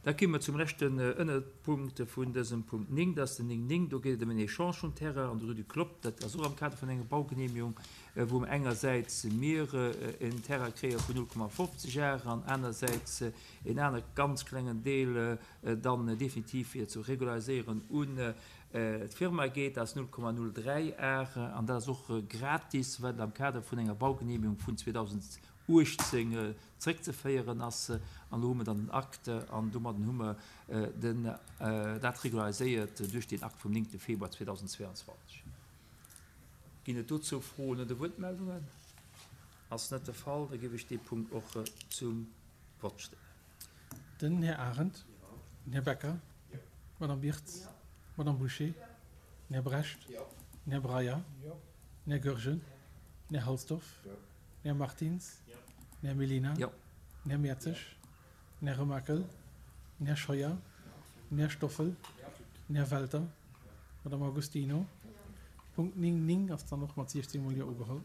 Da komme mer zum leschten Ënnerpunkt vun dësem Punkt 9, dat ass den 9, 9. Do geet et ëm en Echange vum Terrain an der Rue du Clopp. Dat ass och am Kader vun enger Baugenehmigung, wou mer engersäits mir en Terrain kréie vun 0,50 Ar an anersäits en aner ganz klengen Deel dann definitiv fir ze regulariséieren un d'Firma geet. Dat ass 0,03 Ar an dat ass och gratis, well et am Kader vun enger Baugenehmigung vun 2018 zréckzeféieren ass. An elo hu mer dann den Akt an domadden hu mer den dat regulariséiert duerch deen Akt vum 9 Februar 2022. Ginn et dozou Froen oder Wuertmeldungen? Ass net de Fall, da géif ech dee Punkt och zum Vott stellen. Den Här Arendt, den Här Becker, d'Madame Birtz, d'Madame Bouché, den Här Brecht, den Här Breyer, den Här Goergen, den Här Halsdorf, den Här Martins, den Här Mellina, den Här Mertzig, den Här Remakel, den Här Scheuer, den Här Stoffel, den Här Welter, d'Madame Agostino. Punkt 9, 9 ass dann och mat 16 mol Jo ugeholl.